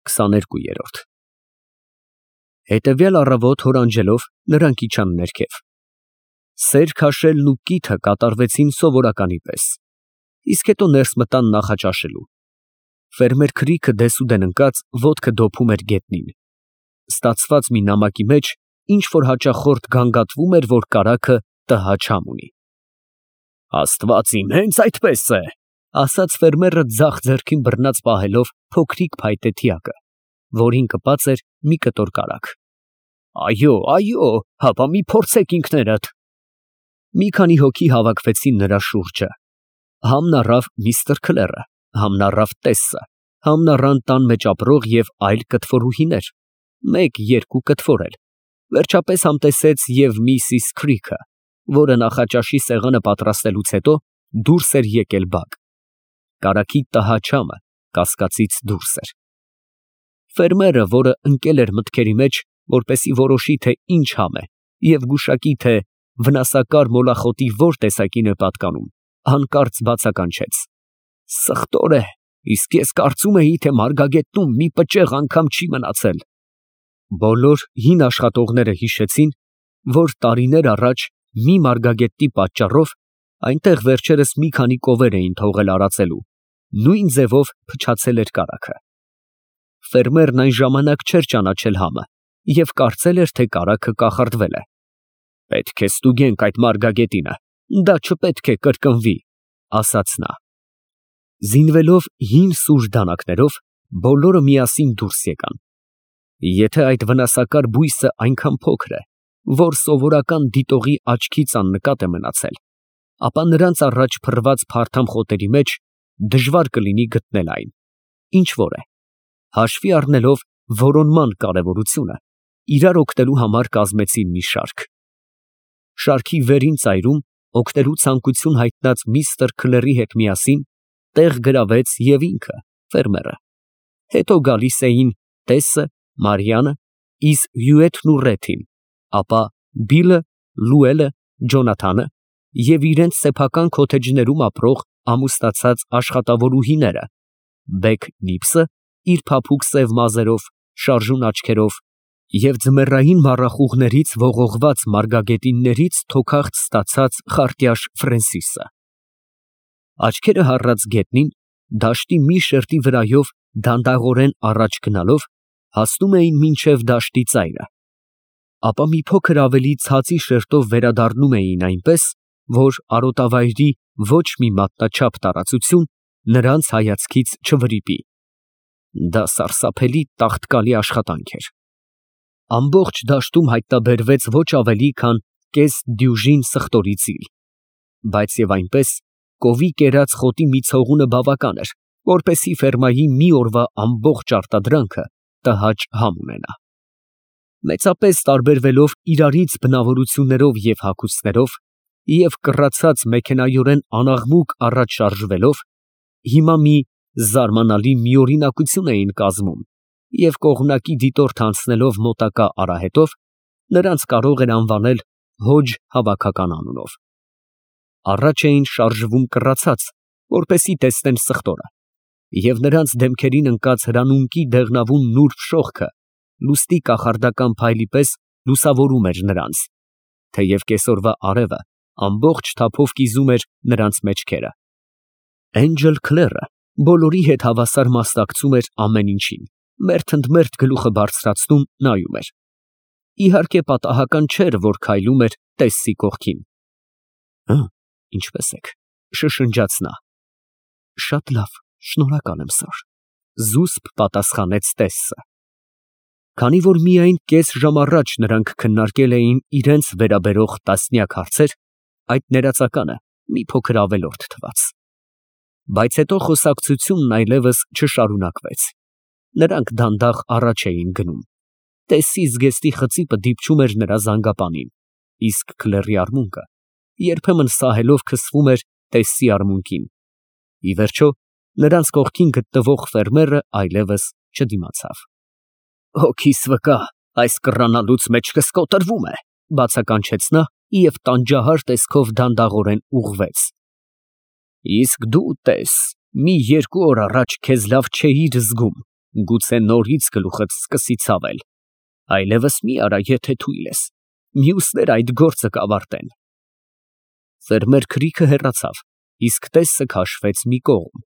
22 Հետևյալ առավոտ հոր անջելով նրանք իջան ներքև։ Սեր քաշելն ու կիթը կատարվեցին սովորականի պես, իսկ հետո ներս մտան նախաճաշելու։ Ֆերմեր Քրիքը դեսուդեն ընկած ոտքը դոփում էր գետնին։ Ստացված մի նամակի մեջ ինչ որ հաճախորդ գանգատվում էր, որ կարագը տհաճ համ ունի։ Աստված իմ, հենց այդպես է, ասաց ֆերմերը ձախ ձեռքին բռնած պահելով փոքրիկ փայտե թիակը, որին կպած էր մի կտոր կարագ։ Այո, հապա մի փորձեք ինքներդ։ Մի քանի հոգի հավաքվեցին նրա շուրջը։ Համն առավ միստր Քլերը, համն առավ Տեսսը, համն առան տան մեջ ապրող և այլ կտվորուհիներ, մեկ-երկու կտվոր էլ, վերջապես համտեսեց և Միսիս Քրիքը, որը նախաճաշի սեղանը պատրաստելուց հետո դուրս էր եկել բակ։ Կարագի տհաճ համը կասկածից դուրս էր։ Ֆերմերը, որը ընկել էր մտքերի մեջ, որպեսի որոշի, թե ինչ համ է, և գուշակի, թե վնասակար մոլախոտի որ տեսակին է պատկանում, հանկարծ բացականչեց. Սխտոր է, իսկ ես կարծում էի, թե մարգագետնում մի պճեղ անգամ չի մնացել։ Բոլոր հին աշխատողները հիշեցին, որ տարիներ առաջ մի մարգագետի պատճառով այնտեղ վերջերս մի քանի կովեր էին թողել արածելու, նույն ձևով փչացել էր կարագը։ Ֆերմերն այն ժամանակ չէր ճանաչել համը և կարծել էր, թե կարագը կախարդվել է։ Պետք է ստուգենք այդ մարգագետինը, դա չպետք է կրկնվի, ասաց նա։ Զինվելով հին սուր դանակներով, բոլորը միասին դուրս եկան։ Եթե այդ վնասակար բույսը այնքան փոքր է, որ սովորական դիտողի աչքից աննկատ է մնացել, ապա նրանց առաջ փռված փարթամ խոտերի մեջ դժվար կլինի գտնել այն, ինչ որ է, հաշվի առնելով որոնման կարևորությունը, իրար օգնելու համար կազմեցին մի շարք։ Շարքի վերին ծայրում օգնելու ցանկություն հայտնած միստր Քլերի հետ միասին տեղ գրավեց և ինքը, ֆերմերը։ Հետո գալիս էին Տեսսը, Մարիանը, իսկ Հյուեթն ու Ռեթին, ապա Բիլը, Լուելը, Ջոնաթանը և իրենց սեփական քոթեջներում ապրող ամուսնացած աշխատավորուհիները, Բեգ Նիբսը իր փափուկ սև մազերով, շարժուն աչքերով և ձմեռային մառախուղներից ողողված մարգագետիններից թոքախտ ստացած խարտյաշ Ֆրենսիսը։ Աչքերը հառած գետնին, դաշտի մի շերտի վրայով դանդաղորեն առաջ գնալով, հասնում էին մինչև դաշտի ծայրը, ապա մի փոքր ավելի ցածի շերտով վերադառնում էին այնպես, որ արոտավայրի ոչ մի մատնաչափ տարածություն նրանց հայացքից չվրիպի։ Դա սարսափելի տաղտկալի աշխատանք էր։ Ամբողջ դաշտում հայտնաբերվեց ոչ ավելի, քան կես դյուժին սխտորի ծիլ, բայց և այնպես կովի կերած խոտի մի ցողունը բավական էր, որպեսզի ֆերմայի մի օրվա ամբողջ արտադրանքը տհաճ համ ունենա։ Մեծապես տարբերվելով իրարից բնավորություններով և հագուստներով և կռացած մեքենայորեն անաղմուկ առաջ շարժվելով, հիմա մի զարմանալի միօրինակություն էին կազմում և կողմնակի դիտորդ անցնելով մոտակա արահետով, նրանց կարող էր անվանել Հոջ հավաքական անունով։ Առաջ էին շարժվում կռացած, որպեսզի տեսնեն սխտորը, և նրանց դեմքերին ընկած հրանունկի դեղնավուն նուրբ շողքը լուսնի կախարդական փայլի պես լուսավորում էր նրանց, թեև կեսօրվա արևը ամբողջ թափով կիզում էր նրանց մեջքերը։ Էնջել Քլերը բոլորի հետ հավասար մասնակցում էր ամեն ինչին, մերթ ընդ մերթ գլուխը բարձրացնում նայում էր։ Իհարկե պատահական չէր, որ քայլում էր Տեսսի կողքին։ Ինչպե՞ս եք, շշնջաց նա։ Շատ լավ, շնորհակալ եմ, սըր, զուսպ պատասխանեց Տեսսը։ Քանի որ միայն կես ժամ առաջ նրանք քննարկել էին իրենց վերաբերող տասնյակ հարցեր, այդ ներածականը մի փոքր ավելորդ թվաց։ Բայց հետո խոսակցությունն այլևս չշարունակվեց։ Նրանք դանդաղ առաջ էին գնում։ Տեսսի զգեստի խծիպը դիպչում էր նրա զանգապանին, իսկ Քլերի արմունկը երբեմն սահելով քսվում էր Տեսսի արմունկին։ Ի վերջո, նրանց կողքին գտնվող ֆերմերը այլևս չդիմացավ։ Հոգիս վկա, այս կռանալուց մեջքս կոտրվում է, բացականչեց նա և տանջահար տեսքով դանդաղորեն ուղղվեց։ Իսկ դու տես, մի երկու օր առաջ քեզ լավ չէիր զգում, Գուցե նորից գլուխդ սկսի ցավել։ Այլևս մի արա, եթե թույլ ես, մյուսները այդ գործը կավարտեն։ Ֆերմեր Քրիքը հեռացավ, իսկ տեսը քաշվեց մի կողմ։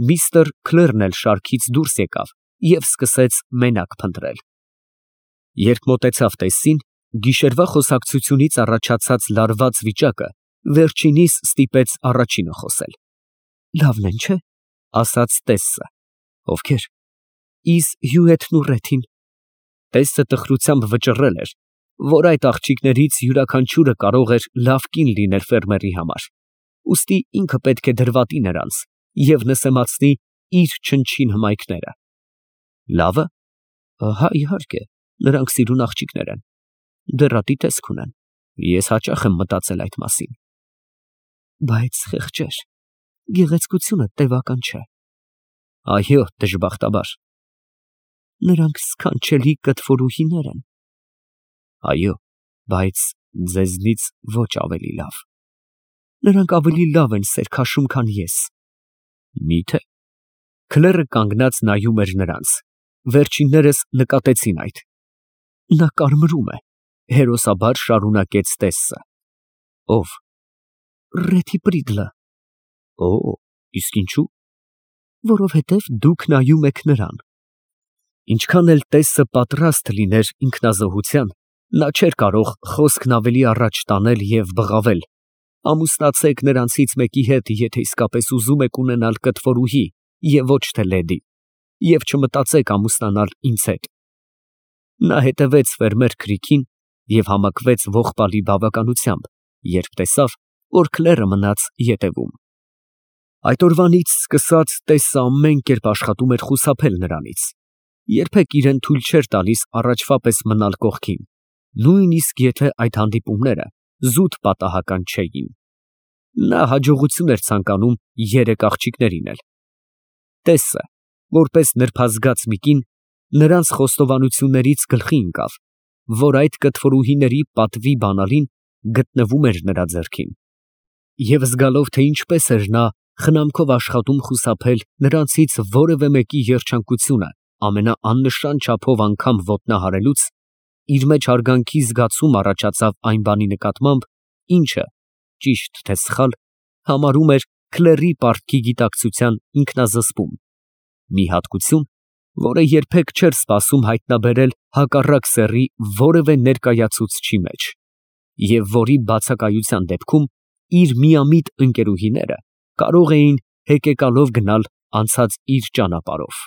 Միստր Քլերն էլ շարքից դուրս եկավ և սկսեց մենակ փնտրել։ Երբ մոտեցավ տեսին, գիշերվա խոսակցությունից առաջացած լարված վիճակը վերջինիս ստիպեց առաջինը խոսել։ Լավն են, չէ՞, ասաց տեսը։ Ովքեր։ Իզ Հյուետն ու Ռեթին։ Տեսը տխրությամբ վճռել էր, որ այդ աղջիկներից յուրաքանչյուրը կարող էր լավ կին լինել ֆերմերի համար, ուստի ինքը պետք է դրվատի նրանց և նսեմացնի իր չնչին հմայքները։ Լավը։ Հա, իհարկե, նրանք սիրուն աղջիկներ են, դեռատի տեսք ունեն, ես հաճախ եմ մտածել այդ մասին։ Բայց խեղճեր, գեղեցկությունը տևական չէ։ Այո, դժբախտաբար։ Նրանք սքանչելի կտվորուհիներ են։ Այո, բայց ձեզնից ոչ ավելի լավ։ Նրանք ավելի լավ են սեր քաշում, քան ես։ Մի՞թե։ Քլերը կանգնած նայում էր նրանց։ Վերջիններս նկատեցին այդ։ Նա կարմրում է, հերոսաբար շարունակեց տեսը։ Ով։ Ռեթի Պրիգլը։ Օ, իսկ ինչու։ Որովհետև դուք նայում եք նրան։ Ինչքան էլ տեսը պատրաստ լիներ ինքնազոհության, նա չէր կարող խոսքն ավելի առաջ տանել և բղավել. ամուսնացեք նրանցից մեկի հետ, եթե իսկապես ուզում եք ունենալ կտվորուհի և ոչ թե լեդի, և չմտածեք ամուսնանալ ինձ հետ։ Նա հետևեց ֆերմեր Քրիքին և համակվեց ողբալի բավականությամբ, երբ տեսավ, որ Քլերը մնաց ետևում։ Այդ օրվանից սկսած տեսը ամեն կերպ աշխատում էր խուսափել նրանից, երբեք իրեն թույլ չէր տալիս առաջվա պես մնալ կողքին, նույնիսկ եթե այդ հանդիպումները զուտ պատահական չէին։ Նա հաջողություն էր ցանկանում երեք աղջիկներին էլ։ Տեսը, որպես նրբազգաց մի կին, նրանց խոստովանություններից գլխի ընկավ, որ այդ կտվորուհիների պատվի բանալին գտնվում էր նրա ձեռքին։ Եվ զգալով, թե ինչպես էր նա խնամքով աշխատում խուսափել նրանցից որևէ մեկի երջանկությունը ամենաաննշան չափով անգամ ոտնահարելուց, իր մեջ հարգանքի զգացում առաջացավ այն բանի նկատմամբ, ինչը, ճիշտ թե սխալ, համարում էր Քլերի պարտքի գիտակցության ինքնազսպում, մի հատկություն, որը երբեք չէր սպասում հայտնաբերել հակառակ սեռի որևէ ներկայացուցչի մեջ, և որի բացակայության դեպքում իր միամիտ ընկերուհիները կարող էին հեկեկալով գնալ անցած իր ճանապարհով։